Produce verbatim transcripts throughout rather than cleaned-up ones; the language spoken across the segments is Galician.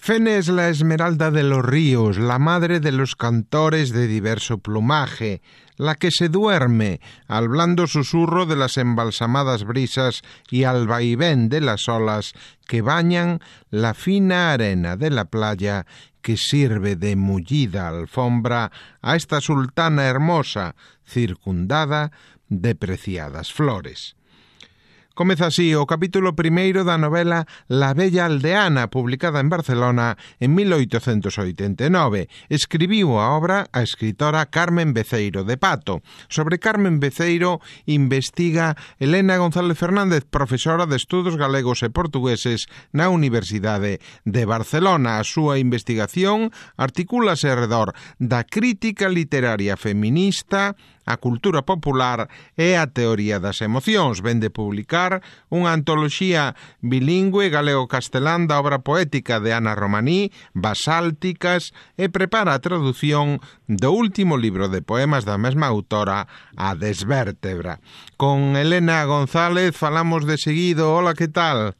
Fene es la esmeralda de los ríos, la madre de los cantores de diverso plumaje, la que se duerme al blando susurro de las embalsamadas brisas y al vaivén de las olas que bañan la fina arena de la playa que sirve de mullida alfombra a esta sultana hermosa, circundada de preciadas flores. Comeza así o capítulo primeiro da novela La Bella Aldeana, publicada en Barcelona en mil oitocentos oitenta e nove. Escribiu a obra a escritora Carmen Beceiro de Pato. Sobre Carmen Beceiro investiga Elena González Fernández, profesora de Estudos Galegos e Portugueses na Universidade de Barcelona. A súa investigación articúlase alrededor da crítica literaria feminista, a cultura popular e a teoría das emocións. Vén de publicar unha antoloxía bilingüe galego-castelán da obra poética de Ana Romaní, Basálticas, e prepara a tradución do último libro de poemas da mesma autora, A Desvértebra. Con Elena González falamos de seguido. Hola, que tal?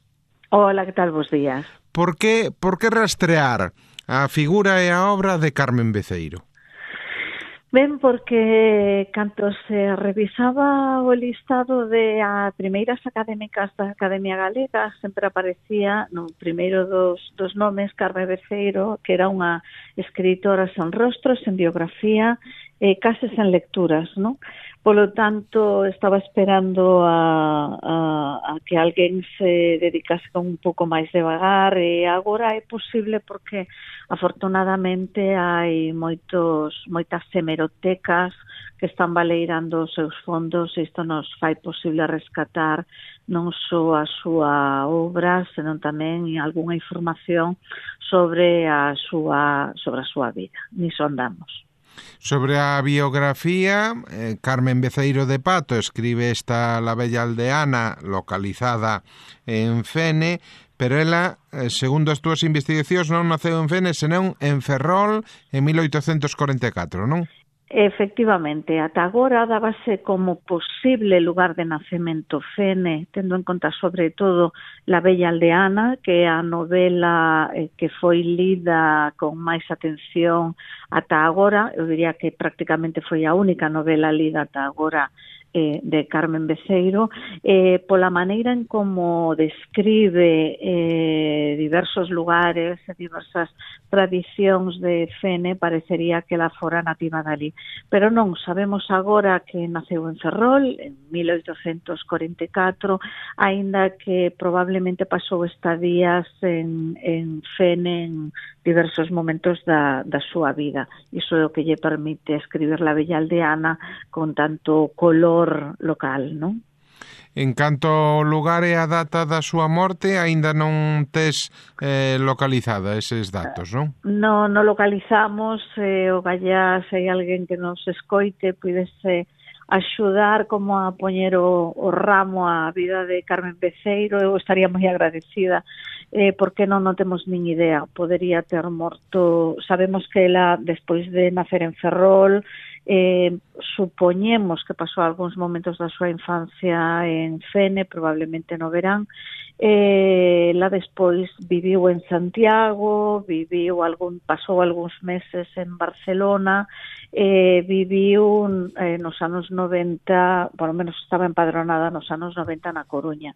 Hola, que tal? Bos días. Por que, por que rastrear a figura e a obra de Carmen Beceiro? Ben, porque canto se revisaba o listado de a primeiras académicas da Academia Galega, sempre aparecía no primeiro dos, dos nomes Carmen Beceiro, que era unha escritora sen rostro, sen biografía, e case sen lecturas, non? Polo tanto, estaba esperando a, a, a que alguén se dedicase con un pouco máis devagar, e agora é posible porque afortunadamente hai moitos moitas hemerotecas que están baleirando os seus fondos, e isto nos fai posible rescatar non só a súa obra, senón tamén algunha información sobre a súa sobre a súa vida. Niso andamos. Sobre a biografía, eh, Carmen Beceiro de Pato escribe esta La Bella Aldeana, localizada en Fene, pero ela, eh, segundo as túas investigacións, non naceu en Fene, senón en Ferrol en mil oitocentos corenta e catro, non? Efectivamente, ata agora dábase como posible lugar de nacemento Fene, tendo en conta sobre todo La Bella Aldeana, que é a novela eh, que foi lida con máis atención ata agora. Eu diría que prácticamente foi a única novela lida ata agora eh, de Carmen Beceiro, eh, pola maneira en como describe eh, diversos lugares e diversas tradicións de Fene, parecería que ela fora nativa dali. Pero non, sabemos agora que naceu en Ferrol en mil oitocentos corenta e catro, aínda que probablemente pasou estadías en, en Fene en diversos momentos da, da súa vida. Iso é o que lle permite escribir La Bella Aldeana con tanto color local, non? En canto ao lugar e a data da súa morte, aínda non tes eh, localizada eses datos, non? Non, non localizamos, eh, o gallá, se hai alguén que nos escoite, pudese axudar como a poñer o, o ramo á vida de Carmen Beceiro, eu estaría moi agradecida, eh, porque non, non temos nin idea. Podería ter morto, sabemos que ela, despois de nacer en Ferrol, Eh, supoñemos que pasou algúns momentos da súa infancia en Fene, probablemente no verán. Eh, la despois viviu en Santiago, viviu algún, pasou algúns meses en Barcelona, eh, viviu eh, nos anos noventa, por lo menos estaba empadronada nos anos noventa na Coruña,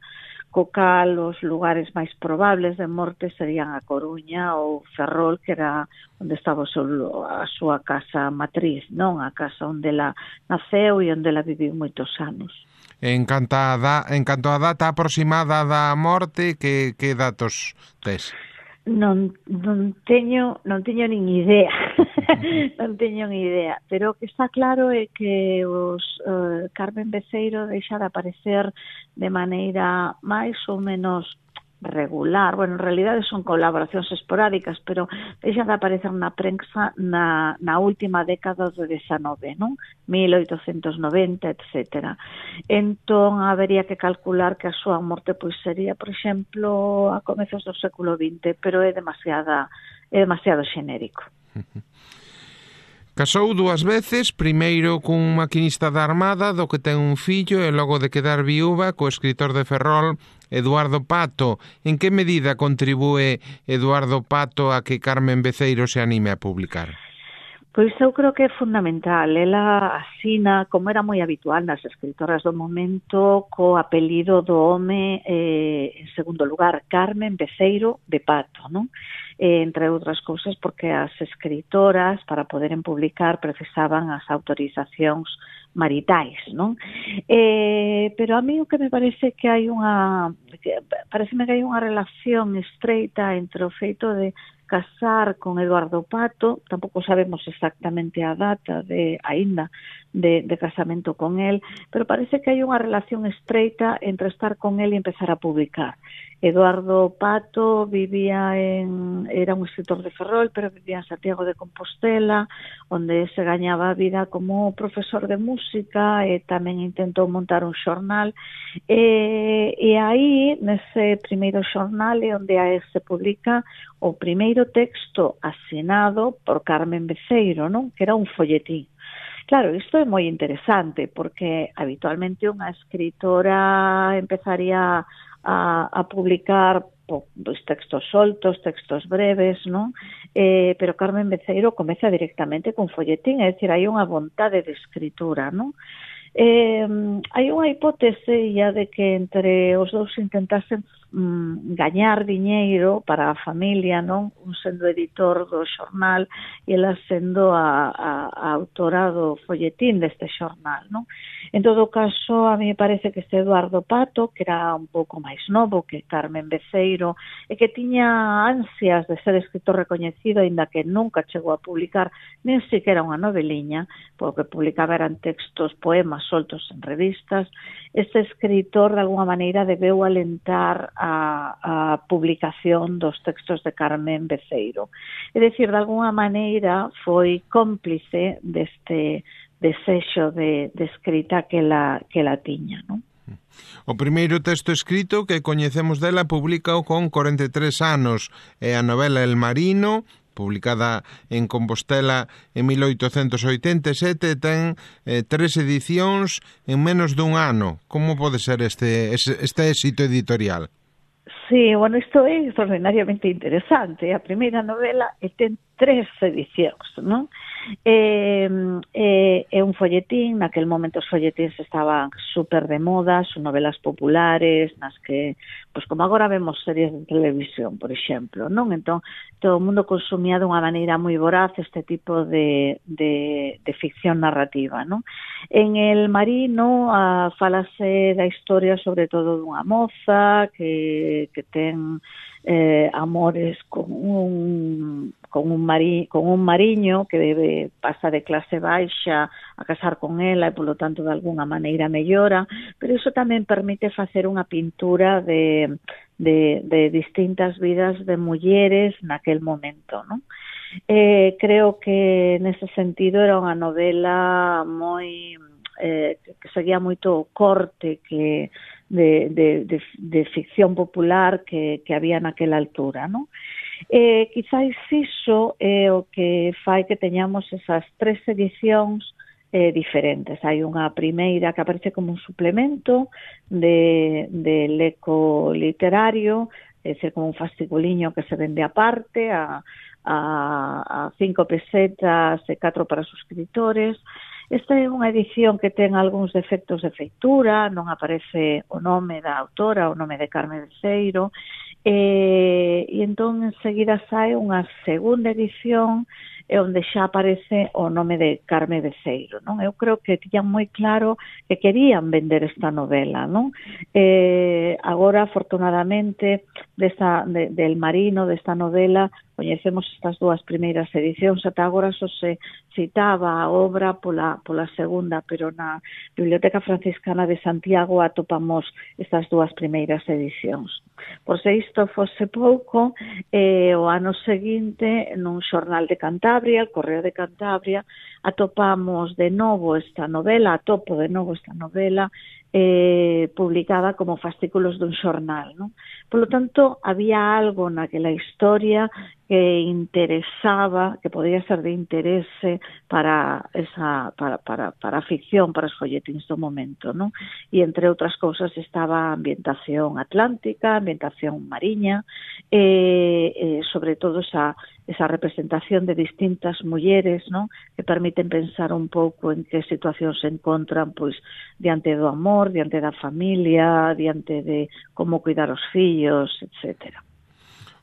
co cal os lugares máis probables de morte serían a Coruña ou Ferrol, que era onde estaba a súa casa matriz, non? A casa onde ela naceu e onde ela viviu moitos anos. En canto a, da, en canto a data aproximada da morte, que, que datos tes? Non, non teño non teño nin idea. Non teño nin idea, pero o que está claro é que os uh, Carmen Beceiro deixa de aparecer de maneira máis ou menos regular. Bueno, en realidade son colaboracións esporádicas, pero deixa de aparecer na prensa na, na última década do dezanove, non? mil oitocentos noventa, etcétera. Entón, habería que calcular que a súa morte pois sería, por exemplo, a comezos do século vinte, pero é demasiada, é demasiado xenérico. Casou dúas veces, primeiro cun maquinista da Armada, do que ten un fillo, e logo de quedar viúva co escritor de Ferrol, Eduardo Pato. En que medida contribúe Eduardo Pato a que Carmen Beceiro se anime a publicar? Pois eu creo que é fundamental. Ela asina, como era moi habitual nas escritoras do momento, co apelido do home, eh, en segundo lugar, Carmen Beceiro de Pato, non? Eh, entre outras cousas porque as escritoras, para poderen publicar, precisaban as autorizacións maritais, non? Eh, pero a mí o que me parece que hai unha, que pareceme que hai unha relación estreita entre o feito de casar con Eduardo Pato, tampouco sabemos exactamente a data de aínda de, de casamento con él, pero parece que hai unha relación estreita entre estar con él e empezar a publicar. Eduardo Pato vivía en, era un escritor de Ferrol, pero vivía en Santiago de Compostela, onde se gañaba a vida como profesor de música e tamén intentou montar un xornal. E, e aí, nese primeiro xornal, é onde se publica o primeiro texto asinado por Carmen Beceiro, non? Que era un folletín. Claro, isto é moi interesante, porque habitualmente unha escritora empezaría a, a publicar pois, textos soltos, textos breves, non? Eh, pero Carmen Beceiro comeza directamente con folletín, é dicir, hai unha vontade de escritura, non? Eh, hai unha hipótese ya de que entre os dous intentasen mm, gañar diñeiro para a familia, non? Un sendo editor do xornal e ela sendo a, a, a autora do folletín deste xornal, non? En todo caso, a mí me parece que este Eduardo Pato, que era un pouco máis novo que Carmen Beceiro, e que tiña ansias de ser escritor recoñecido, aínda que nunca chegou a publicar nen siquiera unha noveliña, porque publicaba eran textos, poemas soltos en revistas. Este escritor, de alguna maneira, debeu alentar a, a publicación dos textos de Carmen Beceiro. É dicir, de alguna maneira, foi cómplice deste desexo de, de escrita que la, que la tiña, non? O primeiro texto escrito que coñecemos dela publicao con corenta e tres anos, é a novela El Marino, publicada en Compostela en mil oitocentos oitenta e sete, ten eh, tres edicións en menos dun ano. Como pode ser este, este éxito editorial? Sí, bueno, isto é extraordinariamente interesante. A primeira novela e ten tres edicións, non? É, é, é un folletín, naquel momento os folletíns estaban super de moda, son novelas populares, nas que, pois como agora vemos series de televisión, por exemplo, non? Entón, todo o mundo consumía de unha maneira moi voraz este tipo de, de, de ficción narrativa, non? En El Marino a, falase da historia sobre todo dunha moza que, que ten eh, amores con un con un mari, con un mariño que debe pasa de clase baixa a casar con ela e polo tanto de alguna maneira mellora, pero iso tamén permite facer unha pintura de, de, de distintas vidas de mulleres naquel momento, non? Eh, creo que nese sentido era unha novela moi eh, que seguía moito o corte que de, de, de, de ficción popular que, que había naquela altura, non? Eh, quizáis iso é o que fai que teñamos esas tres edicións eh, diferentes. Hai unha primeira que aparece como un suplemento de, de leco literario, é dicir, como un fasciculiño que se vende aparte a, a, a cinco pesetas e catro para suscriptores. Esta é unha edición que ten algúns defectos de feitura, non aparece o nome da autora, o nome de Carmen Beceiro, e, e entón enseguida sae unha segunda edición e onde xa aparece o nome de Carmen Beceiro, non? Eu creo que tiñan moi claro que querían vender esta novela, non? Eh, agora, afortunadamente, desta, de, del Marino, desta novela, coñecemos estas dúas primeiras edicións, ata agora só se citaba a obra pola, pola segunda, pero na Biblioteca Franciscana de Santiago atopamos estas dúas primeiras edicións. Por se isto fose pouco, eh, o ano seguinte, nun xornal de Cantabria, el Correo de Cantabria, atopamos de novo esta novela, atopo de novo esta novela, eh, publicada como fascículos dun xornal, non? Por lo tanto, había algo naquela historia que interesaba, que podía ser de interese para esa para, para, para a ficción, para os folletíns do momento, non? E entre outras cousas estaba a ambientación atlántica, ambientación mariña, e, e sobre todo esa, esa representación de distintas mulleres, non? Que permiten pensar un pouco en que situación se encontran, pois, diante do amor, diante da familia, diante de como cuidar os fillos, etcétera.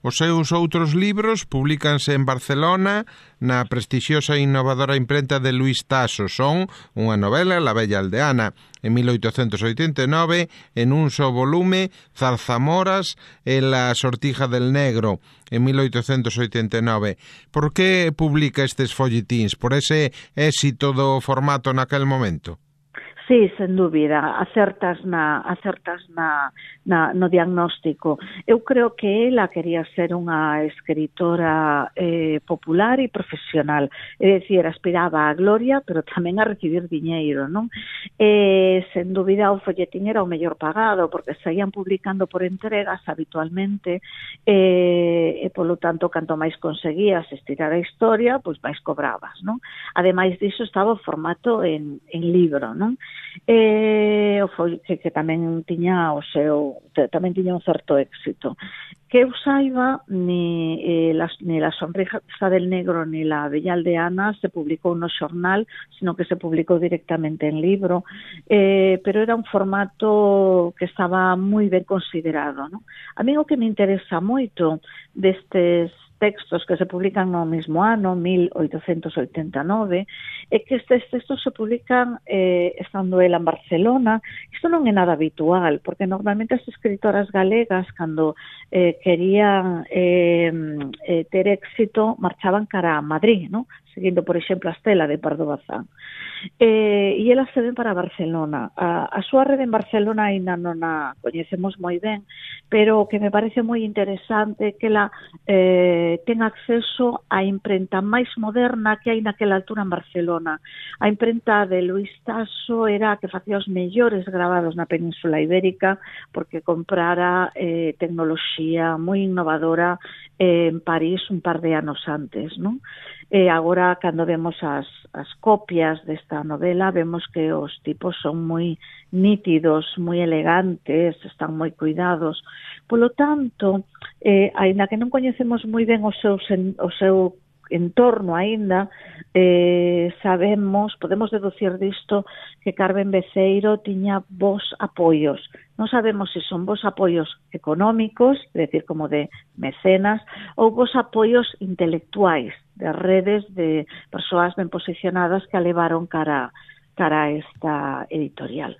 Os seus outros libros publícanse en Barcelona na prestixiosa e innovadora imprenta de Luís Tasso. Son unha novela, La Bella Aldeana, en mil oitocentos oitenta e nove, en un só volume, Zarzamoras e La Sortija del Negro, en mil oitocentos oitenta e nove. Por que publica estes folletíns? Por ese éxito do formato naquel momento? Sí, sen dúbida, acertas na acertas na, na no diagnóstico. Eu creo que ela quería ser unha escritora eh, popular e profesional, é dicir, aspiraba á gloria, pero tamén a recibir diñeiro, non? Eh, sen dúbida o folletín era o mellor pagado, porque saían publicando por entregas habitualmente, eh, e polo tanto, canto máis conseguías estirar a historia, pois máis cobrabas, non? Ademais diso, estaba o formato en, en libro, non? Eh, foi que, que tamén tiña o seu tamén tiña un certo éxito. Que eu saiba, ni, eh, la, ni La Sonrisa del Negro ni La Bella Aldeana se publicou no xornal, sino que se publicou directamente en libro, eh, pero era un formato que estaba moi ben considerado, ¿no? A mí o que me interesa moito destes textos que se publican no mesmo ano, mil oitocentos oitenta e nove, é que estes textos se publican eh, estando ela en Barcelona. Isto non é nada habitual, porque normalmente as escritoras galegas, cando eh, querían eh, eh, ter éxito, marchaban cara a Madrid, ¿no? Seguindo, por exemplo, a Estela de Pardo Bazán. Eh, e ela se ven para Barcelona. A, a súa rede en Barcelona ainda non a coñecemos moi ben, pero o que me parece moi interesante que ela eh, ten acceso á imprenta máis moderna que hai naquela altura en Barcelona. A imprenta de Luís Tasso era a que facía os mellores grabados na Península Ibérica, porque comprara eh, tecnoloxía moi innovadora eh, en París un par de anos antes, non? E agora, cando vemos as, as copias desta novela, vemos que os tipos son moi nítidos, moi elegantes, están moi cuidados. Polo tanto, eh, aínda que non coñecemos moi ben o seu, o seu entorno aínda, eh, sabemos, podemos deducir disto que Carmen Beceiro tiña bons apoios. Non sabemos se son bons apoios económicos, é dicir, como de mecenas, ou bons apoios intelectuais, de redes de persoas ben posicionadas que a levaron cara, cara a esta editorial.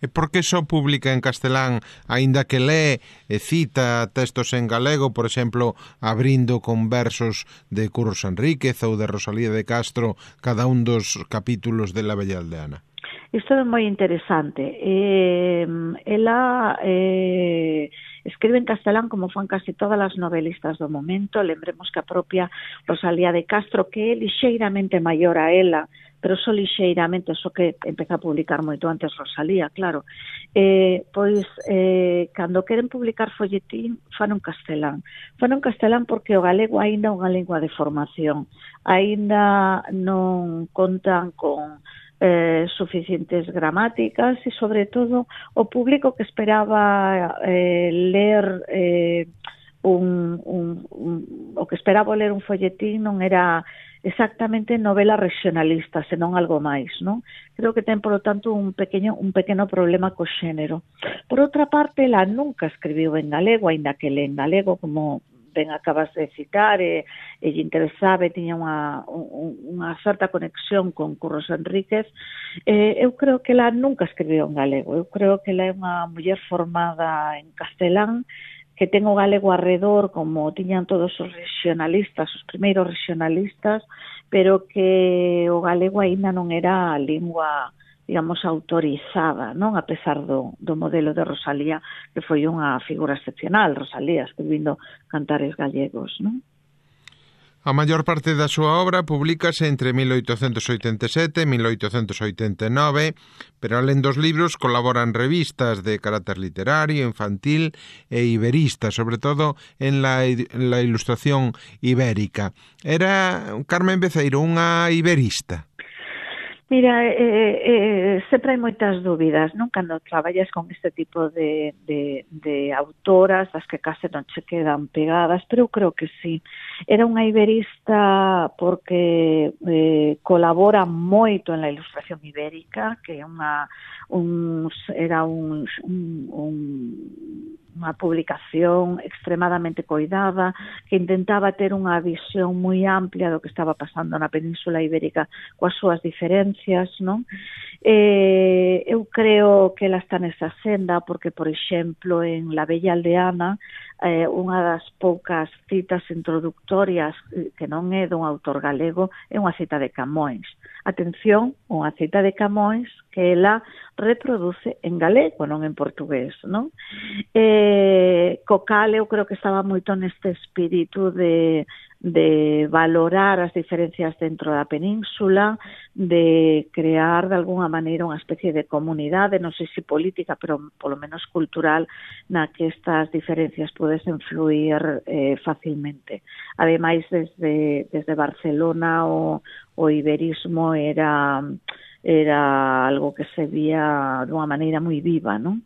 E por que só publica en castelán, aínda que lee e cita textos en galego, por exemplo, abrindo con versos de Curros Enríquez ou de Rosalía de Castro cada un dos capítulos de La Bella Aldeana? Isto é moi interesante. Eh, ela eh, escribe en castelán como fan casi todas as novelistas do momento. Lembremos que a propia Rosalía de Castro, que é lixeiramente maior a ela, pero só lixeiramente, só que empeza a publicar moito antes Rosalía, claro. Eh, pois, eh, cando queren publicar folletín, fan un castelán. Fan un castelán porque o galego aínda é unha lingua de formación. Aínda non contan con Eh, suficientes gramáticas e, sobre todo, o público que esperaba eh, ler eh, un, un, un, o que esperaba ler un folletín non era exactamente novela regionalista, senón algo máis, non? Creo que ten, polo tanto, un pequeno, un pequeno problema co xénero. Por outra parte, ela nunca escribiu en galego, aínda que lee en galego, como ben acabas de citar, e, e lle interesaba, e tiña unha, un, unha certa conexión con Curros Enríquez. Eh, eu creo que ela nunca escribiu en galego. Eu creo que ela é unha muller formada en castelán, que ten o galego arredor, como tiñan todos os regionalistas, os primeiros regionalistas, pero que o galego aínda non era a lingua, digamos, autorizada, non? A pesar do, do modelo de Rosalía, que foi unha figura excepcional, Rosalía, escribindo cantares gallegos, non? A maior parte da súa obra publícase entre mil oitocentos oitenta e sete e mil oitocentos oitenta e nove, pero alén dos libros colaboran revistas de carácter literario, infantil e iberista, sobre todo en la, en la ilustración ibérica. Era Carmen Beceiro unha iberista? Mira, eh, eh, sempre hai moitas dúbidas, non? Cando traballas con este tipo de, de, de autoras, as que case non che quedan pegadas, pero eu creo que sí. Era unha iberista porque eh, colabora moito en la ilustración ibérica, que é unha, un, era un, un, un unha publicación extremadamente coidada, que intentaba ter unha visión moi amplia do que estaba pasando na Península Ibérica coas súas diferencias, non? Eh, eu creo que ela está nesa senda porque, por exemplo, en La Bella Aldeana, eh, unha das poucas citas introductorias que non é dun autor galego é unha cita de Camões. Atención, unha cita de Camões que ela reproduce en galego, non en portugués, non? Eh, co cal eu creo que estaba moito neste espírito de, de valorar as diferencias dentro da península, de crear de alguna maneira unha especie de comunidade, non sei se política, pero polo menos cultural, na que estas diferencias pudesen fluir eh, facilmente. Ademais, desde, desde Barcelona o, o iberismo era, era algo que se vía dunha maneira moi viva, non?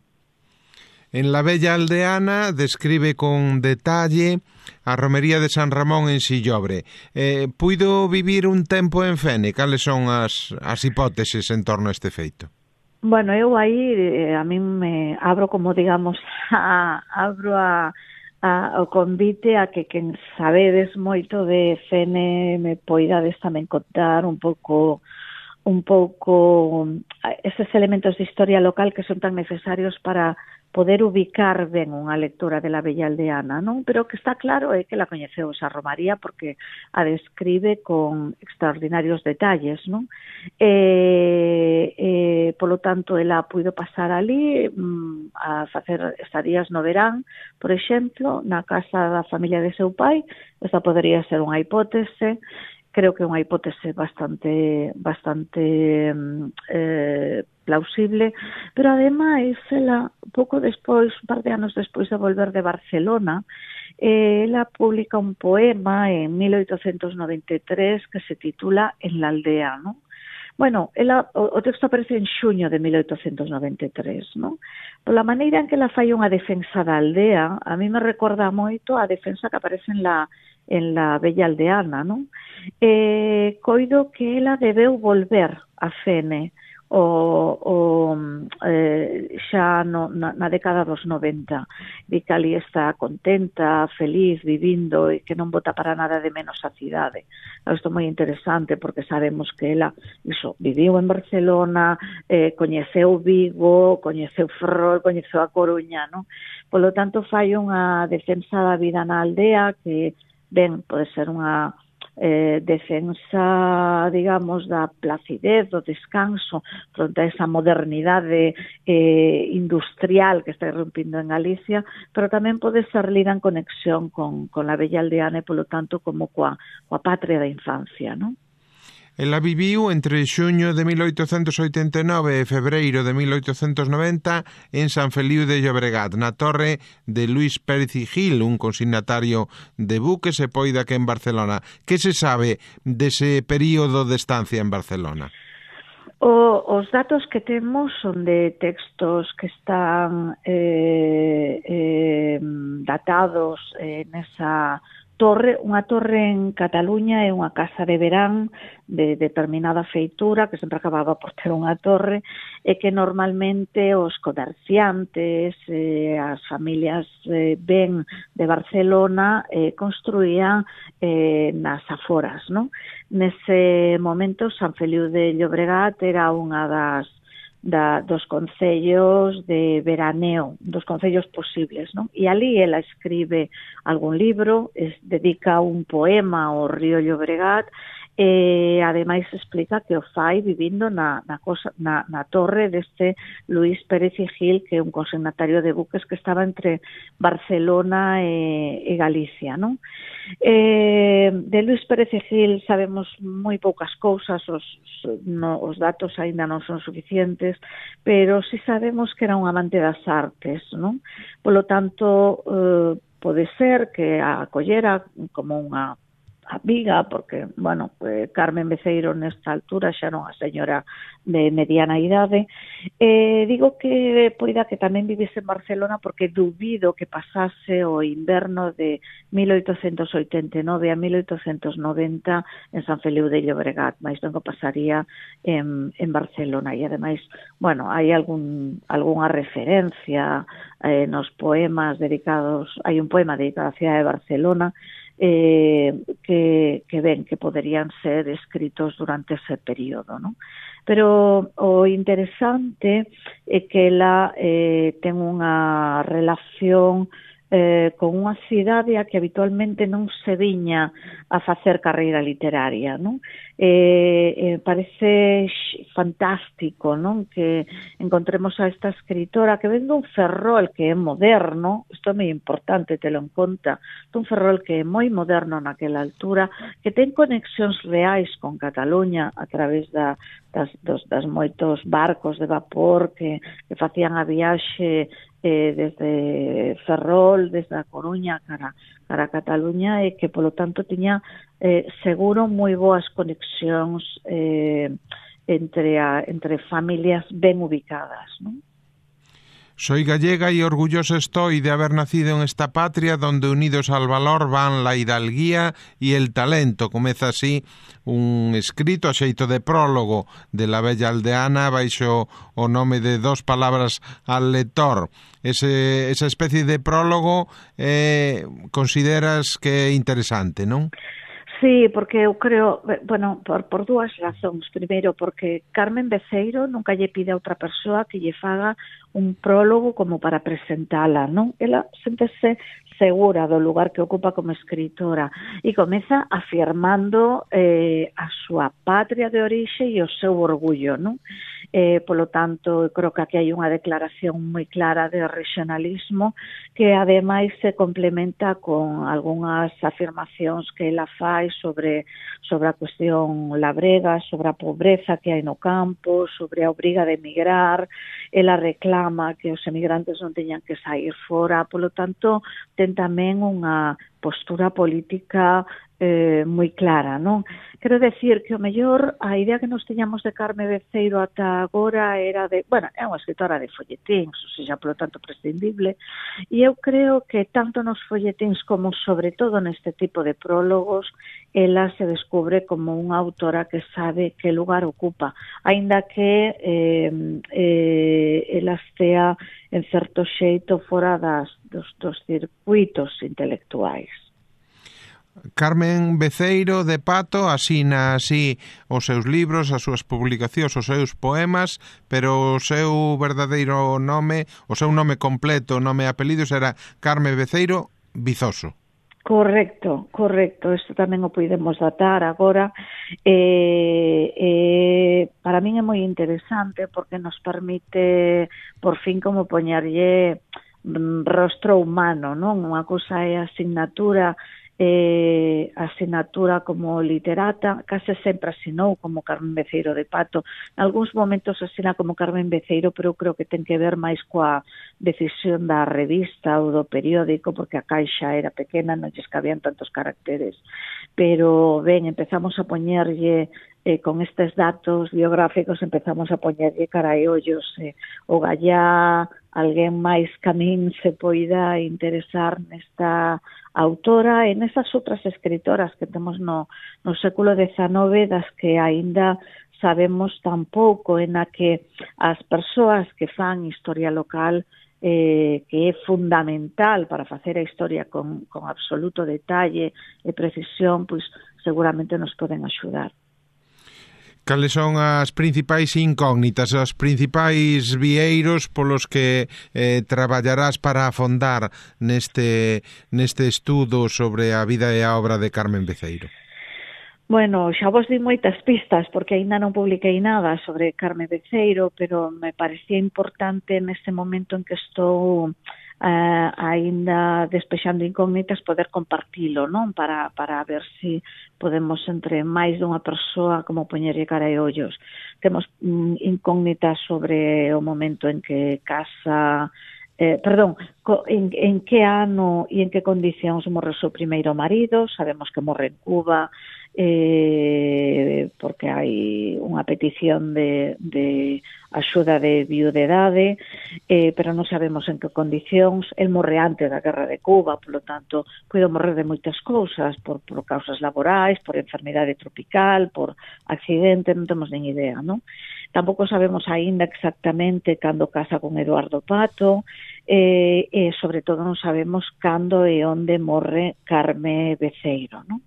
En La Bella Aldeana describe con detalle a romería de San Ramón en Sillobre. Eh, puido vivir un tempo en Fene? Cales son as, as hipóteses en torno a este feito? Bueno, eu aí, eh, a mí me abro, como digamos, a, abro a, a, o convite a que quen sabedes moito de Fene me poidades tamén contar un pouco un pouco eses elementos de historia local que son tan necesarios para poder ubicar ben unha lectora de La Bella Aldeana, non? Pero que está claro é que la coñeceu esa Romaría porque a describe con extraordinarios detalles, non? E, e polo tanto, ela puido pasar ali mm, a facer estadías no verán, por exemplo, na casa da familia de seu pai. Esta podería ser unha hipótese. Creo que é unha hipótese bastante bastante eh, plausible, pero ademais ela pouco despois, un par de anos despois de volver de Barcelona, eh, ela publica un poema en mil oitocentos noventa e tres que se titula En la aldea, non? Bueno, ela, o, o texto aparece en xuño de mil oitocentos noventa e tres, non? Pola maneira en que ela fai unha defensa da aldea, a mí me recorda moito a defensa que aparece en la en La Bella Aldeana, non? Eh, coido que ela debeu volver a Fene o, o eh, xa no, na, na década dos noventa. Di que ali está contenta, feliz, vivindo e que non bota para nada de menos a cidade. Isto é moi interesante porque sabemos que ela iso, viviu en Barcelona, eh, coñeceu Vigo, coñeceu Ferrol, coñeceu a Coruña, non? Polo tanto, fai unha defensa da vida na aldea que ben, pode ser unha eh, defensa, digamos, da placidez, do descanso fronte a esa modernidade eh, industrial que está irrumpindo en Galicia, pero tamén pode ser lida en conexión con, con la Bella Aldeana e, polo tanto, como coa, coa patria da infancia, non? Ela viviu entre xuño de mil oitocentos oitenta e nove e febreiro de mil oitocentos noventa en San Feliu de Llobregat, na torre de Luis Pérez y Gil, un consignatario de buques e poida que en Barcelona. Que se sabe dese período de estancia en Barcelona? O, os datos que temos son de textos que están eh, eh, datados eh, nesa torre, unha torre en Cataluña é unha casa de verán de determinada feitura que sempre acababa por ter unha torre e que normalmente os comerciantes, eh, as familias eh, ben de Barcelona eh, construían eh, nas aforas, non? Nese momento San Feliu de Llobregat era unha das Da, dos concellos de veraneo, dos concellos posibles, non? E ali ela escribe algún libro, es, dedica un poema ao río Llobregat e ademais explica que o fai vivindo na, na, cosa, na, na torre deste Luis Pérez y Gil, que é un consignatario de buques que estaba entre Barcelona e, e Galicia, non? Eh, de Luís Pérez e Gil sabemos moi poucas cousas, os, no, os datos aínda non son suficientes, pero si sabemos que era un amante das artes, non? Polo tanto, eh, pode ser que a acollera como unha amiga, porque, bueno, pues Carmen Beceiro nesta altura xa non a señora de mediana idade. Eh, digo que poida que tamén vivise en Barcelona porque dubido que pasase o inverno de mil oitocentos oitenta e nove a mil oitocentos noventa en San Feliu de Llobregat, máis non que pasaría en, en Barcelona. E ademais, bueno, hai algún algunha referencia eh, nos poemas dedicados, hai un poema dedicado á cidade de Barcelona, Eh, que, que ven que poderían ser escritos durante ese período, ¿no? Pero o interesante é que ela eh, ten unha relación eh, con unha cidade a que habitualmente non se viña a facer carreira literaria, non? Eh, eh, parece fantástico, non? Que encontremos a esta escritora que ven dun Ferrol que é moderno, isto é moi importante, telo en conta, dun Ferrol que é moi moderno naquela altura, que ten conexións reais con Cataluña a través da, das, dos, das moitos barcos de vapor que, que facían a viaxe eh, desde Ferrol, desde a Coruña cara, cara a Cataluña, e que, polo tanto, tiña eh, seguro moi boas conexións eh, entre, a, entre familias ben ubicadas, non? Soy gallega y orgulloso estoy de haber nacido en esta patria donde unidos al valor van la hidalguía y el talento. Comeza así un escrito a xeito de prólogo de la bella aldeana baixo o nome de Dos palabras al lector. Ese, esa especie de prólogo eh, consideras que é interesante, non? Sí, porque eu creo, bueno, por, por dúas razóns. Primeiro, porque Carmen Beceiro nunca lle pide a outra persoa que lle faga un prólogo como para presentala, non? Ela séntese segura do lugar que ocupa como escritora e comeza afirmando eh, a súa patria de orixe e o seu orgullo, non? Eh, polo tanto, creo que aquí hai unha declaración moi clara de regionalismo que ademais se complementa con algunhas afirmacións que ela fai sobre, sobre a cuestión labrega, sobre a pobreza que hai no campo, sobre a obriga de emigrar. Ela reclama que os emigrantes non teñan que sair fora, polo tanto, ten tamén unha postura política eh, moi clara, non? Quero decir que o mellor a idea que nos teñamos de Carmen Beceiro ata agora era de, bueno, é unha escritora de folletíns, ou seja, polo tanto prescindible, e eu creo que tanto nos folletíns como sobre todo neste tipo de prólogos ela se descubre como unha autora que sabe que lugar ocupa, aínda que eh, eh, ela estea en certo xeito fora das, dos, dos circuitos intelectuais. Carmen Beceiro de Pato asina así os seus libros, as súas publicacións, os seus poemas, pero o seu verdadeiro nome, o seu nome completo, nome e apelidos era Carmen Beceiro Vizoso. Correcto, correcto. Isto tamén o podemos datar agora. Eh, eh, para min é moi interesante porque nos permite por fin como poñerlle rostro humano, non? Unha cousa é a asignatura eh, a asignatura como literata, case sempre asinou como Carmen Beceiro de Pato. En algúns momentos asina como Carmen Beceiro, pero eu creo que ten que ver máis coa decisión da revista ou do periódico, porque a caixa era pequena, non lles cabían tantos caracteres. Pero, ben, empezamos a poñerlle eh, con estes datos biográficos, empezamos a poñerlle cara e ollos. Eh, o gallá, alguén máis que a min se poida interesar nesta autora e nesas outras escritoras que temos no, no século dezanove, das que aínda sabemos tan pouco, en a que as persoas que fan historia local, eh, que é fundamental para facer a historia con, con absoluto detalle e precisión, pois seguramente nos poden axudar. Cales son as principais incógnitas, os principais vieiros polos que eh, traballarás para afondar neste, neste estudo sobre a vida e a obra de Carmen Beceiro? Bueno, xa vos di moitas pistas porque aínda non publiquei nada sobre Carmen Beceiro, pero me parecía importante neste momento en que estou uh, aínda despexando incógnitas, poder compartilo, non? Para, para ver se si podemos entre máis dunha persoa como poñerlle cara e ollos. Temos mm, incógnitas sobre o momento en que casa... Eh, perdón, co, en, en que ano e en que condicións morre o seu primeiro marido. Sabemos que morre en Cuba, eh, porque hai unha petición de, de axuda de viudedade, eh, pero non sabemos en que condicións. El morre antes da guerra de Cuba, polo tanto, puido morrer de moitas cousas, por, por causas laborais, por enfermidade tropical, por accidente, non temos nin idea, non? Tampouco sabemos aínda exactamente cando casa con Eduardo Pato, e, e sobre todo non sabemos cando e onde morre Carme Beceiro, non?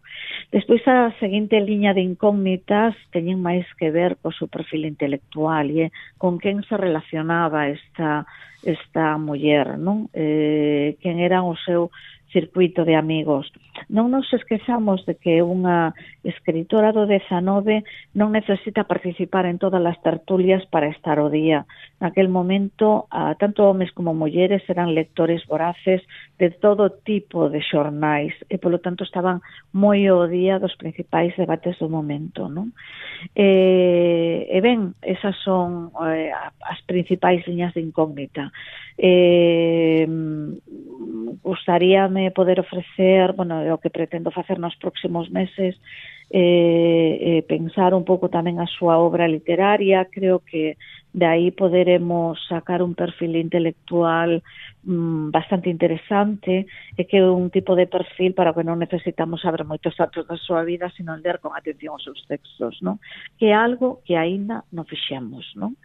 Despois, a seguinte liña de incógnitas teñen máis que ver co seu perfil intelectual e con quen se relacionaba esta, esta muller, non? Eh, quen era o seu circuito de amigos. Non nos esquezamos de que unha escritora do dezanove non necesita participar en todas as tertulias para estar ao día. Naquel momento, tanto homes como mulleres eran lectores voraces de todo tipo de xornais e, polo tanto, estaban moi ao día dos principais debates do momento, non? E, e ben, esas son eh, as principais liñas de incógnita. Eh, gustaríame poder ofrecer, bueno, o que pretendo facer nos próximos meses, eh, eh, pensar un pouco tamén a súa obra literaria. Creo que de aí poderemos sacar un perfil intelectual mm, bastante interesante, e que é un tipo de perfil para o que non necesitamos saber moitos datos da súa vida, sino ler con atención os seus textos, non? Que é algo que aínda non fixemos, non?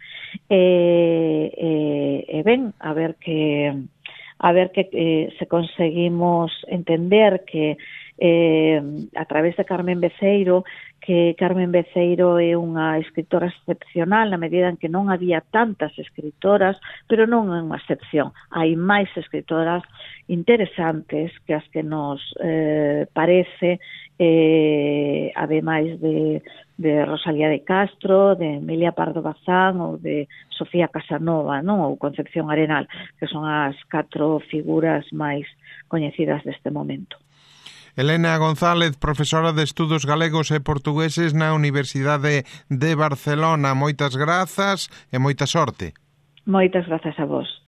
E, e, e ben, a ver que a ver que eh, se conseguimos entender que eh, a través de Carmen Beceiro, que Carmen Beceiro é unha escritora excepcional na medida en que non había tantas escritoras, pero non é unha excepción. Hai máis escritoras interesantes que as que nos eh, parece, eh, ademais de, de Rosalía de Castro, de Emilia Pardo Bazán ou de Sofía Casanova, non? Ou Concepción Arenal, que son as catro figuras máis coñecidas deste momento. Elena González, profesora de Estudos Galegos e Portugueses na Universidade de Barcelona. Moitas grazas e moita sorte. Moitas grazas a vos.